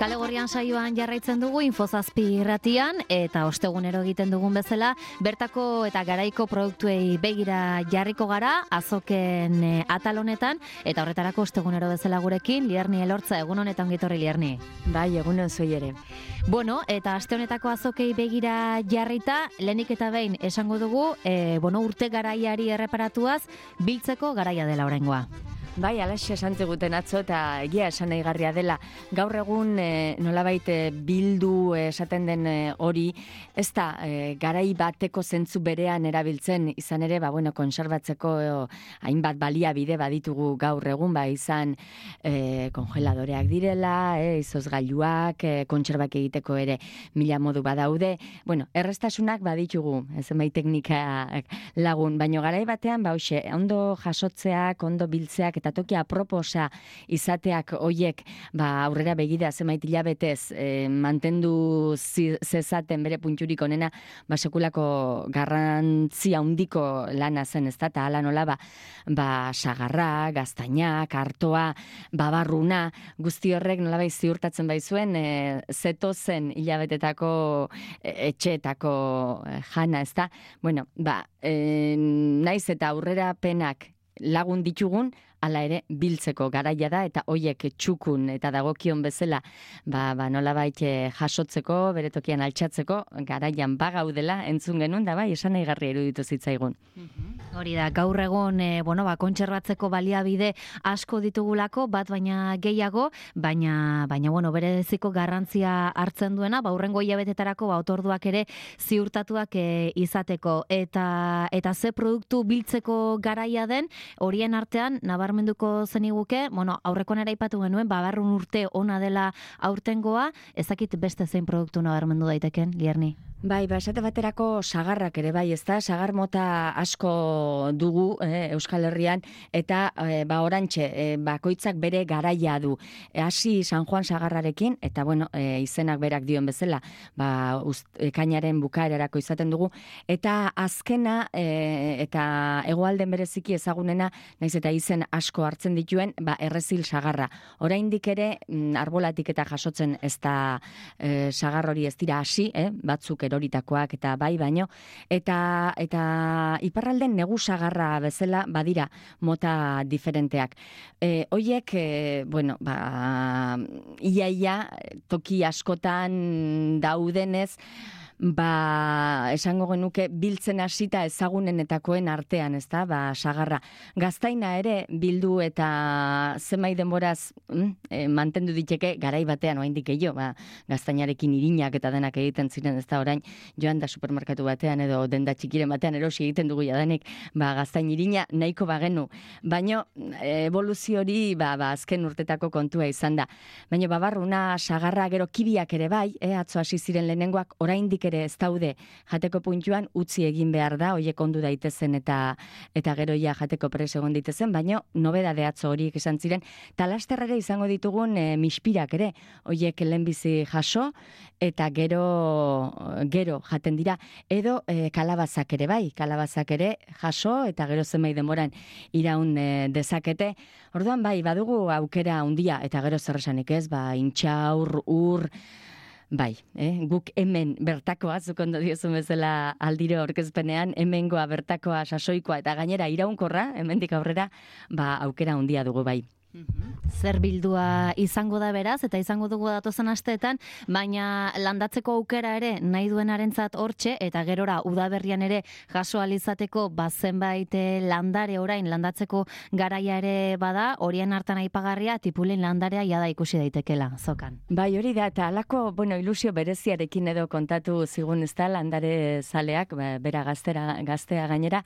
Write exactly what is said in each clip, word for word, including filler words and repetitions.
Kale Gorrian saioan jarraitzen dugu Infozazpi irratian eta ostegunero egiten dugun bezala bertako eta garaiko produktuei begira jarriko gara azoken e, atal honetan eta horretarako ostegunero bezala gurekin Lierni Elortza. Egun honetan gitorri, Lierni. Bai, egunon zoi ere. Bueno, eta aste honetako azokei begira jarrita, lehenik eta behin esango dugu, e, bueno, urte garaiari erreparatuaz biltzeko garaia dela oraingoa. Bai, alaxe esan ziguten atzo eta egia esan nahigarria dela. Gaur egun e, nolabait e, bildu e, esaten den e, hori, ez da e, garai bateko zentzu berean erabiltzen, izan ere, ba, bueno, konserbatzeko e, hainbat baliabide baditugu gaur egun, ba, izan e, kongeladoreak direla, e, izozgailuak, e, kontserbak egiteko ere mila modu badaude. Bueno, errestasunak baditugu, zenbait teknika lagun, baino garai batean, ba, hoxe, ondo jasotzeak, ondo biltzeak, eta toki aproposa izateak hoiek ba aurrera begida zenbait hilabetez e, mantendu zi, zezaten bere punturik onena, ba sekulako garrantzia handiko lana zen, ezta, ta hala nola ba, ba sagarra, gaztainak, artoa, babarruna, guzti horrek nolabait ziurtatzen baizuen e, zetozen hilabetetako e, etxeetako e, jana, ezta. Bueno, ba, e, naiz eta aurrera penak lagun ditugun, hala ere biltzeko garaia da eta hoiek txukun eta dagokion bezala ba, ba nolabait jasotzeko, bere tokian altxatzeko garaian bagaudela entzun genuen da bai, esan nahigarria iruditu zitzaigun. Hori da, gaur egun e, bueno, ba, kontserbatzeko baliabide asko ditugulako, bat baina gehiago, baina, baina bueno, bereziko garrantzia hartzen duena, ba, hurrengo hilabetetarako ba, otorduak ere ziurtatuak e, izateko. Eta, eta ze produktu biltzeko garaia den, horien artean, nabarmenduko zeniguke, bueno, aurrekoan ere aipatu genuen, babarrun urte ona dela aurtengoa, ezakit beste zein produktu nabarmendu daiteken, Lierni? Bai, ba, esate baterako sagarrak ere bai, ezta? Sagar mota asko dugu eh, Euskal Herrian, eta eh, ba, orantxe, eh, bakoitzak bere garaia du. E, hasi San Juan sagarrarekin, eta bueno, eh, izenak berak dion bezala, ba, uzt, ekainaren bukaerarako izaten dugu, eta azkena, eh, eta hegoalden bereziki ezagunena, naiz eta izen asko hartzen dituen, ba, errezil sagarra. Oraindik ere, mm, arbolatik eta jasotzen ez da eh, sagar hori ez dira hasi, eh, batzuk eroritakoak eta bai baino, eta eta iparralden negu sagarra bezala badira mota diferenteak. E, hoiek, e, bueno, ba, ia ia toki askotan daudenez, ba, esango genuke biltzen hasita ezagunenetakoen artean, ezta? Ba, sagarra. Gaztaina ere bildu eta zenbait denboraz mm, e, mantendu diteke garai batean oraindik gehiago, ba, gaztainarekin irinak eta denak egiten ziren, ezta, orain joan da supermerkatu batean edo denda txikiren batean erosi egiten dugu jadanik, ba, gaztain irina nahiko bagenu. Baino evoluzio hori ba, ba, azken urtetako kontua izan da. Baino babarruna, sagarra, gero kibiak ere bai, eh, atzo hasi ziren lehenengoak, oraindik ere ez daude jateko puntuan utzi egin behar da, hoiek ondu daitezen eta eta gero ja jateko pres egon daitezen, baino nobedade atzo horiek izan ziren, talasterrere izango ditugun e, mispirak ere, hoiek lehenbizi jaso eta gero gero jaten dira, edo e, kalabazak ere bai, kalabazak ere jaso eta gero zenbait denboran iraun e, dezakete. Orduan bai, badugu aukera handia eta gero zer esanik ez, ba intxaur, ur. Bai, eh? Guk hemen bertakoa, zuk ondo diozun bezala aldiro aurkezpenean, hemengoa bertakoa sasoikoa eta gainera iraunkorra, hemendik aurrera, ba aukera handia dugu bai. Zer bildua izango da beraz, eta izango dugu datozen asteetan, baina landatzeko aukera ere nahi duenarentzat hortxe, eta gerora udaberrian ere jaso alizateko bazenbait landare orain landatzeko garaia ere bada, horien hartan aipagarria tipulin landarea jada ikusi daitekela, zokan. Bai, hori da, eta alako, bueno, ilusio bereziarekin edo kontatu zigun ez da, landare zaleak, bera gaztera, gaztea gainera,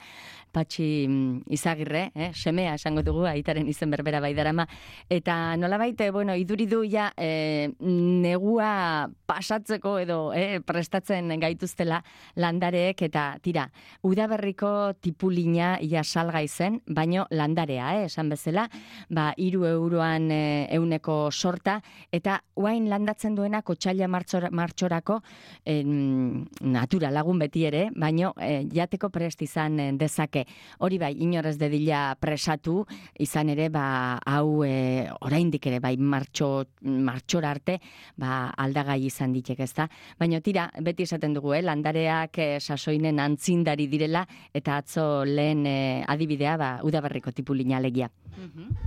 Patxi Izagirre, eh, semea esango dugu, aitaren izen berbera bai darama, eta nolabait, bueno, iduridu ja e, negua pasatzeko edo e, prestatzen gaituztela landareek, eta tira, udaberriko tipulina ia salgai zen, baino landarea, eh, esan bezala, ba, iru euroan e, euneko sorta, eta uain landatzen duena kotxaila martxor, martxorako e, natura lagun beti ere, baino e, jateko prest izan dezake. Hori bai, inorez dedila presatu, izan ere, ba, hau e, oraindik ere bai martxo, martxora arte, ba, aldagai izan ditek, ezta? Baina tira, beti esaten dugu, eh? Landareak eh, sasoinen antzindari direla, eta atzo lehen eh, adibidea, ba, udaberriko tipulina alegia.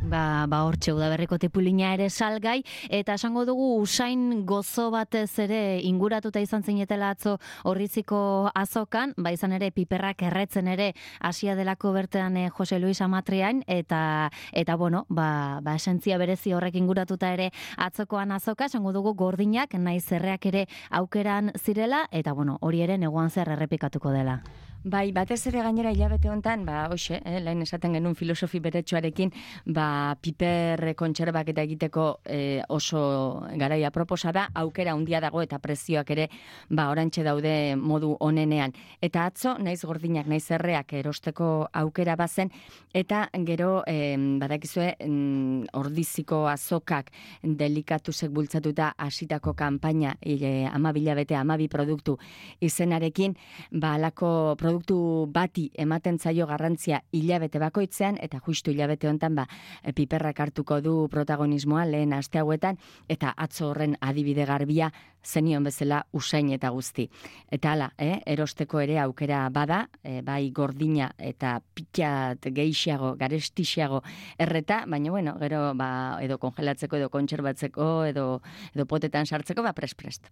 Ba, ba hortxe udaberriko tipulina ere salgai, eta esango dugu usain gozo batez ere inguratuta izan zinetela atzo Orriziko azokan, ba izan ere piperrak erretzen ere hasia delako bertean eh, Jose Luis Amatriain, eta eta bueno, ba, ba esentzia berezi horrek inguratuta ere atzokoan azoka, esango dugu gordinak, naiz zerreak ere aukeran zirela, eta bueno, hori ere neguan zer errepikatuko dela. Bai, batez ere gainera hilabete hontan, ba, hoxe, eh, lehen esaten genuen filosofi beretsuarekin, ba, piper kontserbak eta egiteko eh, oso garaia proposa da, aukera handia dago eta prezioak ere, ba, orantxe daude modu onenean. Eta atzo, naiz gordinak, naiz erreak erosteko aukera bazen, eta gero, eh, badakizue, mm, Ordiziko azokak delikatuzek bultzatuta hasitako kanpaina, e, amabila bete, amabi produktu izenarekin, ba, alako produktu produktu bati ematen zaio garrantzia hilabete bakoitzean, eta justu hilabete hontan ba, piperrak hartuko du protagonismoa lehen aste hauetan, eta atzo horren adibide garbia zenion bezala usain eta guzti. Eta hala, eh, erosteko ere aukera bada, eh, bai gordina eta pitxat gehiago, garestixiago erreta, baina bueno, gero ba, edo kongelatzeko, edo kontserbatzeko, edo, edo potetan sartzeko, ba prest-prest.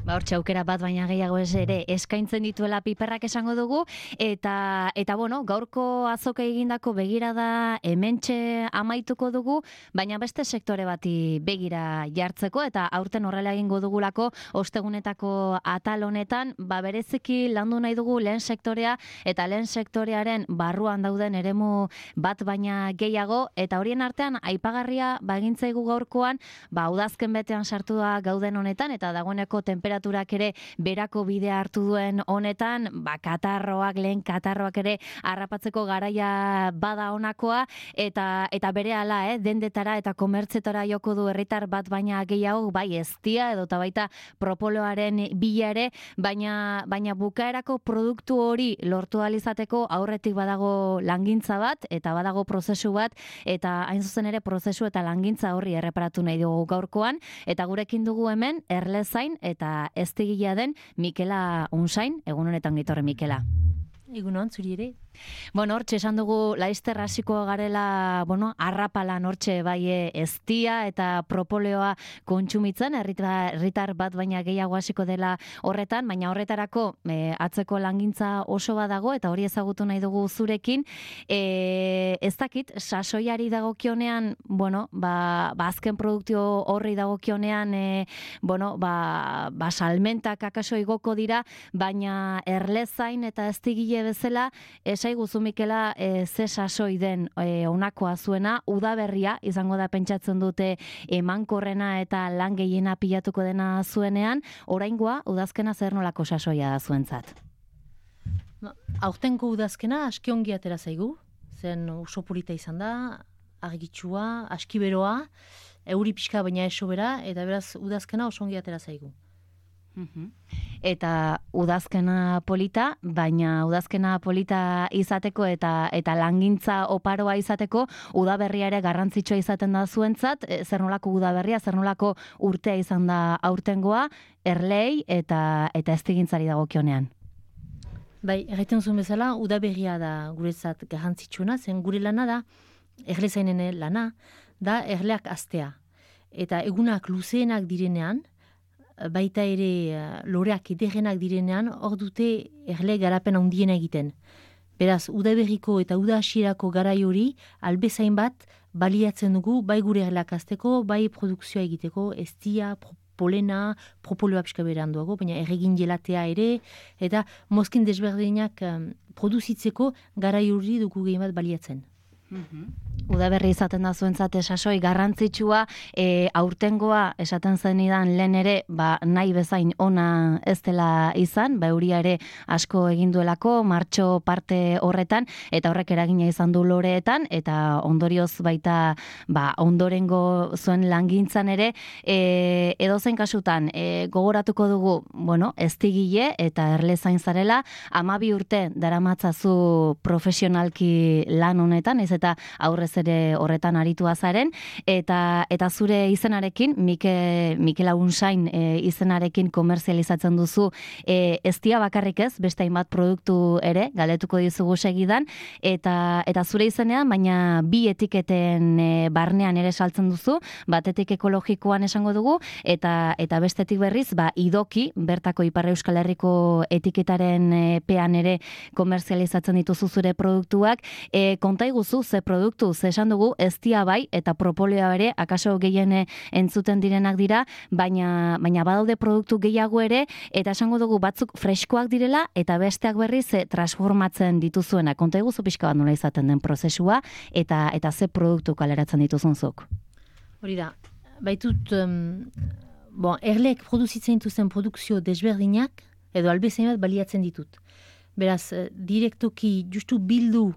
Ba hortxe aukera bat baina gehiago ez ere eskaintzen dituela piperrak esango dugu, eta eta bueno, gaurko azoka egindako begirada hementxe amaituko dugu, baina beste sektore bati begira jartzeko, eta aurten horrela egingo dugulako ostegunetako atal honetan, ba bereziki landu nahi dugu lehen sektorea, eta lehen sektorearen barruan dauden eremu bat baina gehiago, eta horien artean aipagarria ba egintzaigu gaurkoan, ba udazken betean sartu da gauden honetan, eta dagoeneko temperaturak ere berako bidea hartu duen honetan, ba katarroak, lehen katarroak ere harrapatzeko garaia bada honakoa, eta eta berehala, eh, dendetara eta komertzetara joko du herritar bat baina gehiago, bai eztia edo ta baita propoloaren bila ere, baina baina bukaerako produktu hori lortu ahal izateko aurretik badago langintza bat eta badago prozesu bat, eta hain zuzen ere prozesu eta langintza horri erreparatu nahi dugu gaurkoan, eta gurekin dugu hemen Erlezain eta eztigilea den Mikela Unsain. Egun honetan gitorre Mikela. Egunon, zuri ere. Bueno, hortxe esan dugu laizter hasiko garela, bueno, arrapalan hortxe bai eztia eta propoleoa kontsumitzen, herritar bat baina gehiago hasiko dela horretan, baina horretarako e, atzeko langintza oso badago, eta hori ezagutu nahi dugu zurekin. E, ez dakit, sasoiari dagokionean, bueno, ba, ba azken produktio horri dagokionean, e, bueno, ba, ba salmentak akaso igoko dira, baina Erlezain eta eztigile bezala, esaigu Mikela, e, ze sasoi den e, onakoa zuena, udaberria izango da pentsatzen dute emankorrena eta lan gehiena pilatuko dena zuenean, oraingoa udazkena zer nolako sasoia da zuentzat? Aurtengo udazkena aski ongi atera zaigu, zen oso polita izan da, argitsua, aski beroa, euri pixka baina eso bera, eta beraz udazkena oso ongi atera zaigu. Eta udazkena polita, baina udazkena polita izateko eta eta langintza oparoa izateko, udaberria ere garrantzitsua izaten da zuentzat, zer nolako udaberria, zer nolako urtea izan da aurtengoa, Erlei eta eta eztigintzari dagokionean. Bai, erraiten zuen bezala, udaberria da guretzat garrantzitsuena, zen gure lana da, Erlezainen lana, da erleak astea. Eta egunak luzeenak direnean, baita ere loreak ederrenak direnean, hor dute erle garapen handiena egiten. Beraz, udaberriko eta uda hasierako garai hori, albezain bat baliatzen dugu, bai gure erleak azteko, bai produkzioa egiteko, eztia, polena, propoloa pixka beran duago, baina erregin jelatea ere, eta mozkin desberdinak um, produzitzeko garai hori dugu gehi bat baliatzen. Udaberri izaten da zuentzat sasoi garrantzitsua, e, aurtengoa esaten zenidan lehen ere, ba, nahi bezain ona ez dela izan, ba, euria ere asko egin duelako, martxo parte horretan, eta horrek eragina izan du loreetan, eta ondorioz baita ba, ondorengo zuen langintzan ere, e, edozein kasutan, e, gogoratuko dugu, bueno, eztigile eta Erlezain zarela, hamabi urte daramatzazu profesionalki lan honetan, ez eta aurrez ere horretan aritua zaren, eta eta zure izenarekin, Mike, Mikel Agunsain e, izenarekin komerzializatzen duzu, e, ez dia bakarrik ez, beste hainbat produktu ere, galdetuko dizugu segidan, eta, eta zure izenean, baina bi etiketen e, barnean ere saltzen duzu, batetik ekologikoan esango dugu, eta eta bestetik berriz, ba, idoki, bertako Ipar Euskal Herriko etiketaren e, pean ere komerzializatzen dituzu zure produktuak. E, konta iguzu, ze produktu, ze esan dugu, ez dia bai, eta propolioa ere, akaso gehien entzuten direnak dira, baina, baina badaude produktu gehiago ere, eta esango dugu batzuk freskoak direla, eta besteak berriz e, transformatzen dituzuena. Konta iguzu pixka bat nola izaten den prozesua, eta eta ze produktu kaleratzen dituzunzuk. Hori da, baitut, um, bon, erleek produzitzen dituzten produkzio desberdinak, edo albezain bat baliatzen ditut. Beraz, direktoki justu bildu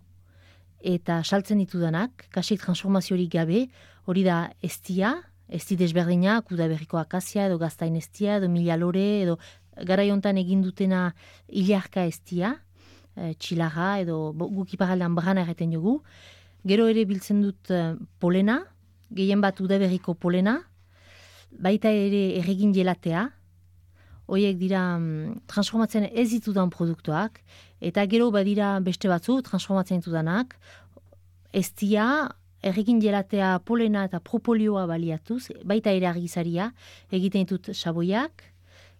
eta saltzen ditudanak, kasik transformaziorik gabe, hori da estia, esti desberdinak, udaberriko akazia, edo gaztain estia, edo mila lore, edo garai hontan egin dutena ilarka estia, e, txilarra, edo guk iparaldean brana erreten jogu. Gero ere biltzen dut e, polena, gehien bat udaberriko polena, baita ere erregin jelatea, horiek dira mm, transformatzen ez ditudan produktuak, eta gero badira beste batzu transformatzen ditudanak, estia, erregin jelatea, polena eta propolioa baliatuz, baita ere argizaria, egiten ditut saboiak,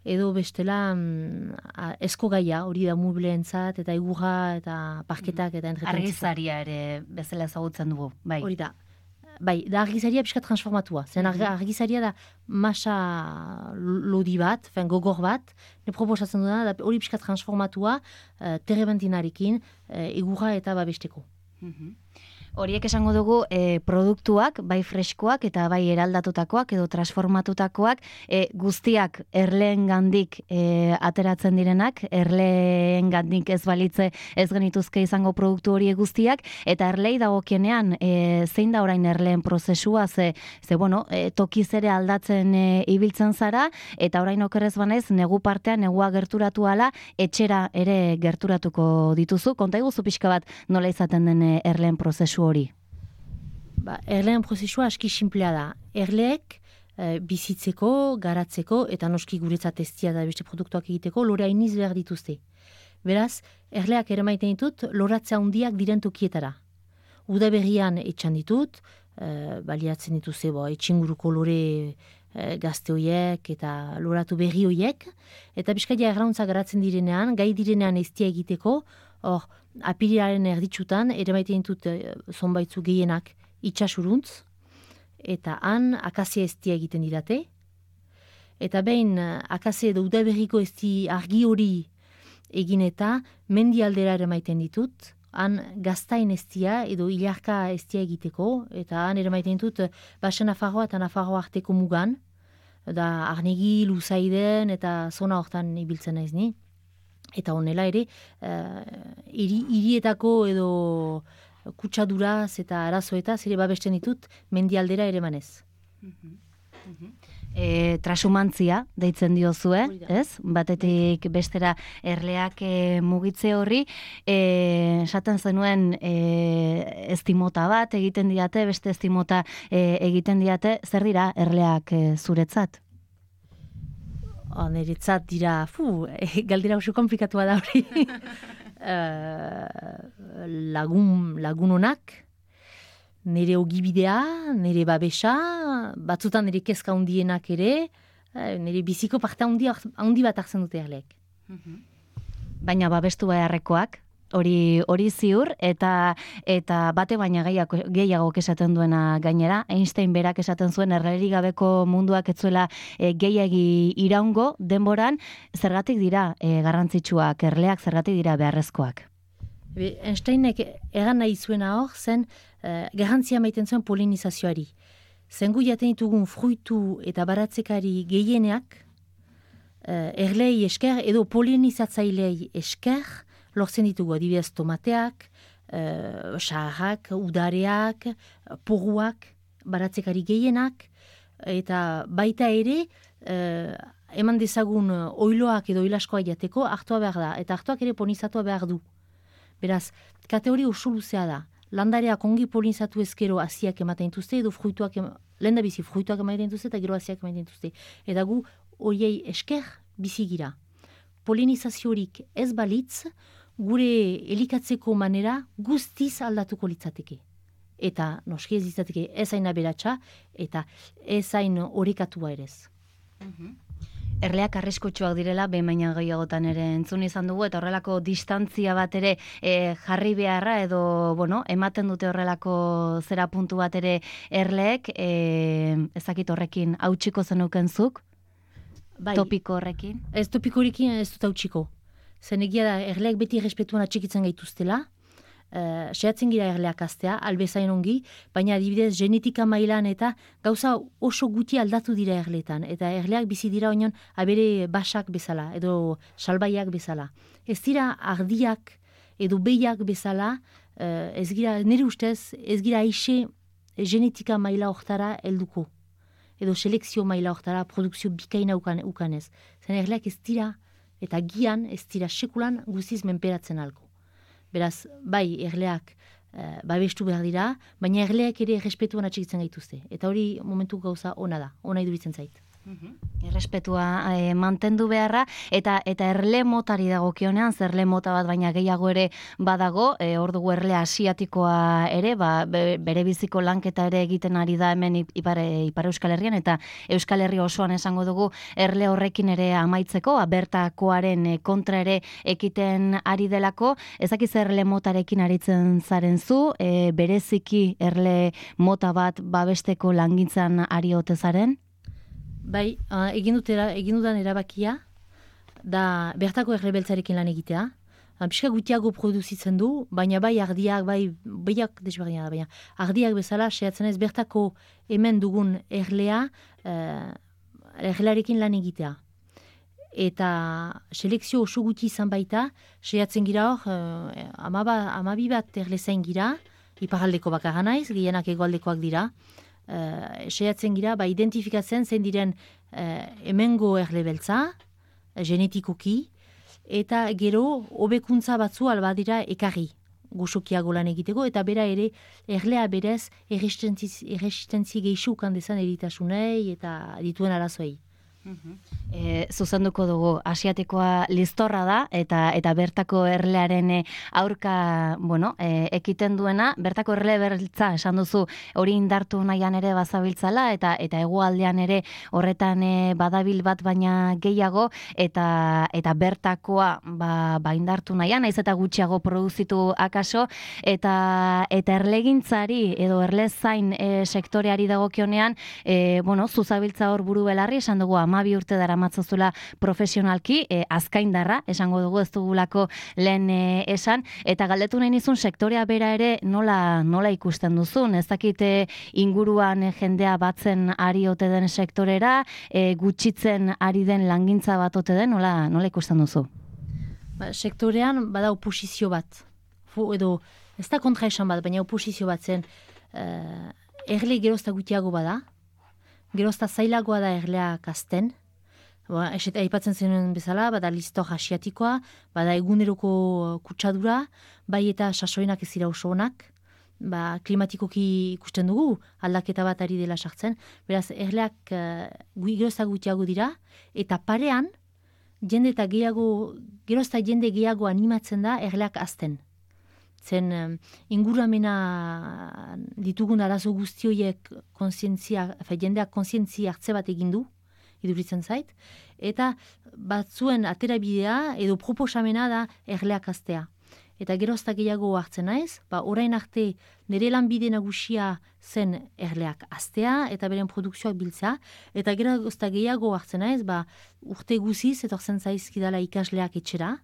edo bestela mm, esko gaia, hori da mubleentzat, eta egurra, eta parketak, eta entretentzat. Argizaria ere bezala ezagutzen dugu, bai. Hori da. Bai, da argizaria pixka transformatua. Zen argizaria da masa lodi bat, fen gogor bat, ne proposatzen duna, da hori pixka transformatua, uh, terebentinarekin, uh, egurra eta babesteko. Mm-hmm. Horiek esango dugu e, produktuak, bai freskoak eta bai eraldatutakoak edo transformatutakoak, e, guztiak erleen gandik e, ateratzen direnak, erleen gandik ez balitze ez genituzke izango produktu horiek guztiak, eta erlei dagokienean e, zein da orain erleen prozesua, ze, ze bueno, e, tokiz ere aldatzen e, ibiltzen zara, eta orain okerrez banaiz, negu partean, negua gerturatu ala, etxera ere gerturatuko dituzu. Konta iguzu pixka bat nola izaten den e, erleen prozesu hori? Ba, erleen prozesua aski simplea da. Erleek e, bizitzeko, garatzeko, eta noski guretzat estia da beste produktuak egiteko, lore hainiz behar dituzte. Beraz, erleak ere maiten ditut, loratze handiak diren tokietara. Udaberrian etxan ditut, e, baliatzen dituzte, bo, etxinguruko lore e, gazte hoiek eta loratu berri hoiek, eta bizkaia errauntza garatzen direnean, gai direnean estia egiteko, hor, apirilaren erditsutan, ere maiten ditut e, zonbaitzu gehienak itxasuruntz, eta han akazia estia egiten didate, eta behin akazia edo udaberriko esti argi hori egin eta mendi aldera ere maiten ditut, han gaztain estia edo ilarka estia egiteko, eta han ere maiten ditut Baxe Nafarroa eta Nafarroa arteko mugan, da Arnegi, Luzaiden eta zona hortan ibiltzen naiz ni. Eta honela ere, uh, iri, irietako edo kutsaduraz eta arazoetaz ere babesten ditut mendialdera ere manez. E, trasumantzia deitzen diozue, ez? Batetik bestera erleak e, mugitze horri, e, esaten zenuen e, estimota bat egiten diate, beste estimota e, egiten diate, zer dira erleak e, zuretzat? Oh, niretzat dira, fu, eh, galdera oso komplikatua da hori. uh, lagun, lagunonak, nire ogibidea, nire babesa, batzutan nire kezka hundienak ere, nire biziko parte handi, handi bat hartzen dute erleek. Baina babestu beharrekoak, hori hori ziur, eta eta bate baina gehiago, gehiago esaten duena gainera, Einstein berak esaten zuen erlerik gabeko munduak etzuela e, gehiagi iraungo denboran, zergatik dira e, garrantzitsuak, erleak zergatik dira beharrezkoak. Be, Einsteinek egan nahi zuena hor, zen uh, garrantzia maiten zuen polinizazioari. Zengu jaten ditugun fruitu eta baratzekari gehieneak, uh, erlei esker edo polinizatzailei esker, lortzen ditugu adibidez tomateak, uh, saharrak, udareak, porruak, baratzekari gehienak, eta baita ere, uh, eman dezagun oiloak edo oilaskoa jateko hartua behar da, eta hartuak ere polinizatua behar du. Beraz, kategoria oso luzea da. landareak ongi polinizatu ezkero hasiak ematen dituzte, edo fruituak, lehen da bizi fruituak ematen dituzte, eta gero hasiak ematen dituzte. Eta gu horiei esker bizi gira. Polinizaziorik ez balitz, gure elikatzeko manera guztiz aldatuko litzateke. Eta noski ez litzateke ez hain aberatsa, eta ez hain orekatua erez. Erleak arriskutsuak direla, behin baina gehiagotan ere entzun izan dugu, eta horrelako distantzia bat ere e, jarri beharra, edo, bueno, ematen dute horrelako zera puntu bat ere erleek, e, ezakit horrekin hautsiko zenukenzuk, Bai, topiko horrekin? Ez topiko horrekin ez dut hautsiko. Zen egia da, erleak beti errespetuan atxikitzen gaituztela, Uh, sehatzen gira erleak astea, albezain ongi, baina adibidez genetika mailan eta gauza oso guti aldatu dira erletan, eta erleak bizi dira oinon abere basak bezala, edo salbaiak bezala. Ez dira ardiak edo behiak bezala, uh, ez gira, nire ustez, ez gira aixe genetika maila hortara helduko, edo selekzio maila hortara produkzio bikaina ukan, ukanez. Zen erleak ez dira, eta gian ez dira sekulan guziz menperatzen alko. Beraz, bai, erleak uh, babestu behar dira, baina erleak ere errespetuan atxikitzen gaituzte. Eta hori momentu gauza ona da, ona iduritzen zait. Errespetua e, mantendu beharra, eta eta erle motari dagokionean, zerle mota bat baina gehiago ere badago, e, hor dugu erle asiatikoa ere, ba, be, bere biziko lanketa ere egiten ari da hemen ipar, ipar Euskal Herrian, eta Euskal Herri osoan esango dugu erle horrekin ere amaitzeko, bertakoaren kontra ere ekiten ari delako, ezakiz erle motarekin aritzen zaren zu, e, bereziki erle mota bat babesteko langintzan ari ote zaren? Bai, uh, egin, dutera, egin dudan erabakia, da bertako errebeltzarekin lan egitea. Piska gutiago produzitzen du, baina bai ardiak, bai behiak desberdina da, baina ardiak bezala, sehatzen ez bertako hemen dugun erlea, uh, erlearekin lan egitea. Eta selekzio oso guti izan baita, sehatzen gira hor, uh, amaba, amabi bat erlezain gira, iparaldeko bakarra naiz, gehienak egoaldekoak dira, Uh, sehatzen gira, ba, identifikatzen zein diren uh, hemengo erle beltza, uh, genetikoki, eta gero hobekuntza batzu alba dira ekarri gusokiago lan egiteko, eta bera ere erlea berez erresistentzi geixu kandezan eritasunei eta dituen arazoei. E, zuzenduko dugu, asiatikoa listorra da, eta eta bertako erlearen aurka, bueno, e, ekiten duena, bertako erle beltza, esan duzu, hori indartu nahian ere bazabiltzala, eta eta hegoaldean ere horretan e, badabil bat baina gehiago, eta eta bertakoa ba, ba indartu nahian, naiz eta gutxiago produzitu akaso, eta eta erlegintzari, edo erlezain e, sektoreari dagokionean, e, bueno, zuzabiltza hor buru belarri, esan dugu, ama bi urte dara matzazula profesionalki, e, azkaindarra, esango dugu ez dugulako lehen e, esan, eta galdetu nahi nizun sektorea bera ere nola, nola ikusten duzun, ez dakite inguruan e, jendea batzen ari ote den sektorera, e, gutxitzen ari den langintza bat ote den, nola, nola ikusten duzu? Ba, sektorean bada oposizio bat, Fu, edo ez da kontra esan bat, baina oposizio bat zen, uh, erle gerozta gutiago bada, gerozta zailagoa da erleak azten, ba, eseta aipatzen zenuen bezala, bada listor asiatikoa, bada eguneroko kutsadura, bai eta sasoinak ez dira oso onak, ba, klimatikoki ikusten dugu, aldaketa bat ari dela sartzen, beraz erleak uh, gerozta gutiago dira, eta parean, jende eta gehiago, gerozta jende gehiago animatzen da erleak azten. Zen um, inguramena ditugun arazo guztioiek konsientzia, jendeak konsientzia hartze bat egin du, iduritzen zait, eta batzuen aterabidea edo proposamena da erleak aztea. Eta gerozta gehiago hartzen naiz, ba, orain arte nire lanbide nagusia zen erleak aztea eta beren produkzioak biltzea, eta gerozta gehiago hartzen naiz, ba, urte guziz etortzen zaizkidala ikasleak etxera,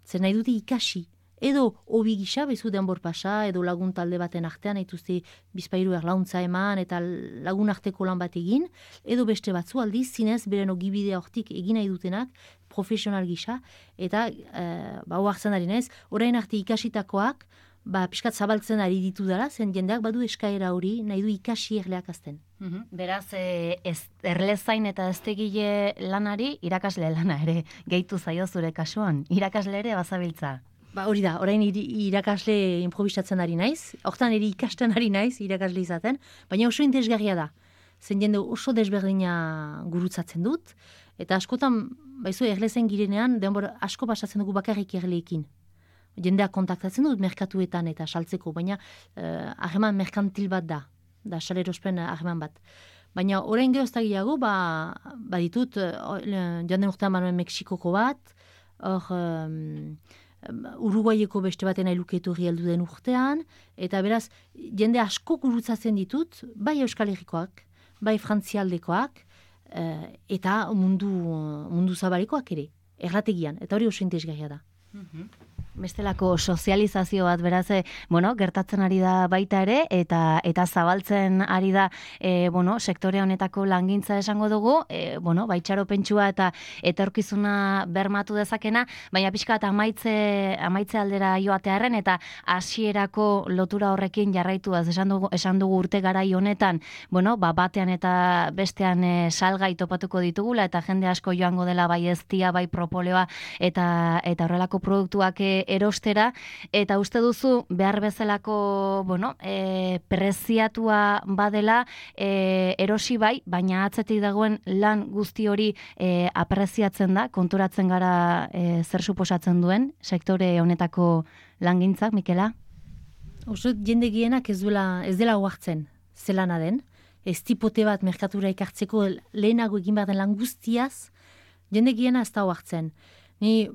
zen nahi dute ikasi, edo hobi gisa, bezu denbor pasa, edo lagun talde baten artean, haituzte bizpairu erlauntza eman, eta lagun arteko lan bat egin, edo beste batzu aldiz, zinez, beren ogibidea hortik egin nahi dutenak, profesional gisa, eta e, ba, hoartzen ari naiz, orain arte ikasitakoak, ba, pixkat zabaltzen ari ditu dara, zen jendeak badu eskaera hori, nahi du ikasi erleak azten. Uhum. Beraz, e, ez, erlezain eta eztegile lanari, irakasle lana ere, gehitu zaio zure kasuan, irakasle ere bazabiltza. Ba, hori da, orain irakasle improvisatzen ari naiz, hortan ere ikasten ari naiz irakasle izaten, baina oso interesgarria da. Zen jende oso desberdina gurutzatzen dut, eta askotan, baizu, erlezen girenean, denbora asko pasatzen dugu bakarrik erleekin. Jendeak kontaktatzen dut merkatuetan eta saltzeko, baina harreman uh, merkantil bat da, da salerospen harreman bat. Baina orain geroztagiago, ba, baditut, uh, joan den urtean manuen Mexikoko bat, hor um, Uruguaieko beste baten ailuketu heldu den urtean, eta beraz, jende asko gurutzatzen ditut, bai Euskal Herrikoak, bai Frantzialdekoak, uh, eta mundu, mundu zabalekoak ere, errategian, eta hori oso interesgarria da. Mm-hmm. Bestelako sozializazio bat beraz, e, bueno, gertatzen ari da baita ere, eta eta zabaltzen ari da e, bueno, sektore honetako langintza esango dugu, e, bueno, baitxaropentsua eta etorkizuna bermatu dezakena, baina pixka eta amaitze, amaitze aldera joatearen, eta hasierako lotura horrekin jarraituaz esan dugu, esan dugu urte garai honetan, bueno, ba, batean eta bestean e, salgai topatuko ditugula, eta jende asko joango dela bai eztia, bai propoleoa, eta, eta horrelako produktuak e, erostera, eta uste duzu behar bezalako, bueno, e, preziatua badela e, erosi bai, baina atzetik dagoen lan guzti hori e, apreziatzen da, konturatzen gara e, zer suposatzen duen sektore honetako langintzak, Mikela? Oso jende gienak ez, duela, ez dela oartzen zelana den, ez tipote bat merkatura ikartzeko lehenago egin behar den lan guztiaz, jende giena ez da oartzen. Ni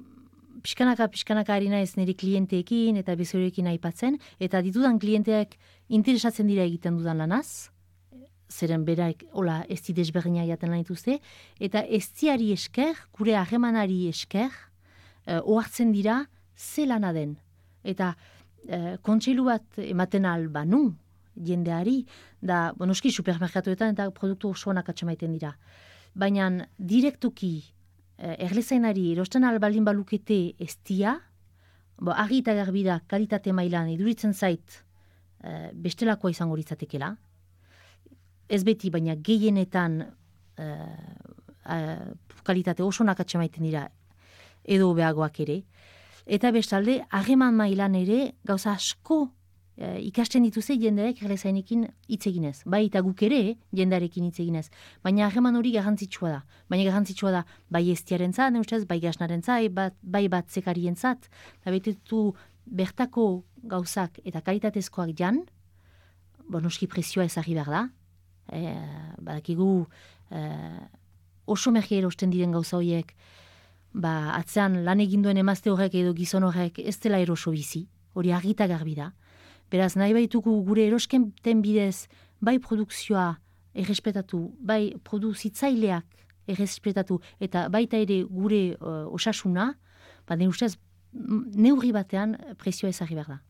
Piskanaka, piskanaka ari naiz nire klienteekin eta bezorekin aipatzen, eta ditudan klienteak interesatzen dira egiten dudan lanaz, zeren beraik, hola, ez di desberdina jaten lan dituzte, eta ez diari esker, gure harremanari esker, uh, ohartzen dira ze lana den. Eta uh, kontseilu bat ematen albanu jendeari, da, bonoski, supermerkatuetan eta produktu osoanak atxamaiten dira. Baina direktuki, erlezainari erosten albalin balukete estia, bo, argi eta garbi da kalitate mailan iduritzen zait e, bestelakoa izango litzatekela. Ez beti, baina gehienetan e, e, kalitate oso nakatxe maiten dira edo beagoak ere. Eta bestalde, harreman mailan ere gauza asko e, ikasten dituzte jendeak erlezainekin hitz eginez. Bai eta guk ere jendarekin hitz eginez. Baina harreman hori garrantzitsua da. Baina garrantzitsua da bai estiaren zat, neustez, bai gasnaren zat, bai bat zekarien zat. Da betetu bertako gauzak eta kalitatezkoak jan, bonoski prezioa ezagri behar da. E, badakigu e, oso merke erosten diren gauza horiek, ba, atzean lan eginduen emazte horrek edo gizon horrek ez dela eroso bizi, hori argita garbi da. Beraz, nahi baitugu gure eroskenten bidez, bai produkzioa errespetatu, bai produzitzaileak errespetatu, eta baita ere gure uh, osasuna, ba, ne ustez, neurri batean prezioa ezagri behar da.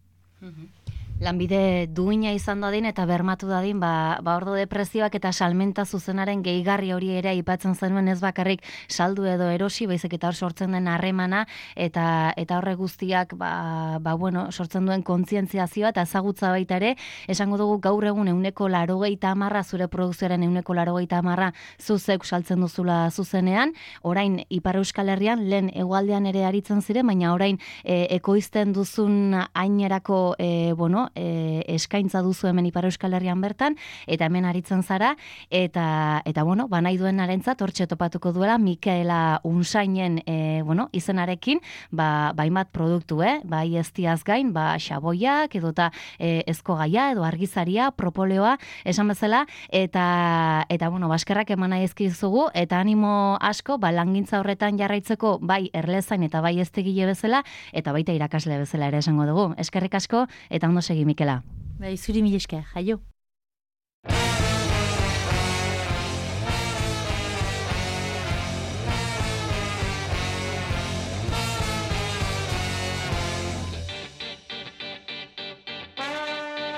Mm-hmm. Lanbide duina izan dadin eta bermatu dadin, ba, ba ordo depresioak eta salmenta zuzenaren gehigarri hori ere aipatzen zenuen ez bakarrik saldu edo erosi, baizik eta hor sortzen den harremana, eta eta horre guztiak ba, ba, bueno, sortzen duen kontzientziazioa eta ezagutza baita ere, esango dugu gaur egun euneko larogeita hamarra, zure produkzioaren euneko larogeita hamarra zuzek saltzen duzula zuzenean, orain Ipar Euskal Herrian, lehen hegoaldean ere aritzen ziren, baina orain e, ekoizten duzun ainerako, e, bueno, E, eskaintza duzu hemen Ipar Euskal Herrian bertan, eta hemen aritzen zara, eta, eta bueno, ba nahi duen narentzat, hortxe topatuko duela, Mikaela Unsainen e, bueno, izenarekin, ba, bainbat produktu, eh? Bai eztiaz gain, ba xaboiak, edota e, ezkogaia, edo argizaria, propoleoa, esan bezala, eta, eta bueno, baskerrak eman nahi ezkizugu, eta animo asko, ba, langintza horretan jarraitzeko, bai erlezain eta bai eztegile bezala, eta baita irakasle bezala ere esango dugu. Eskerrik asko, eta ondo segi, Mikela. Bai, zuri mil esker, jaio.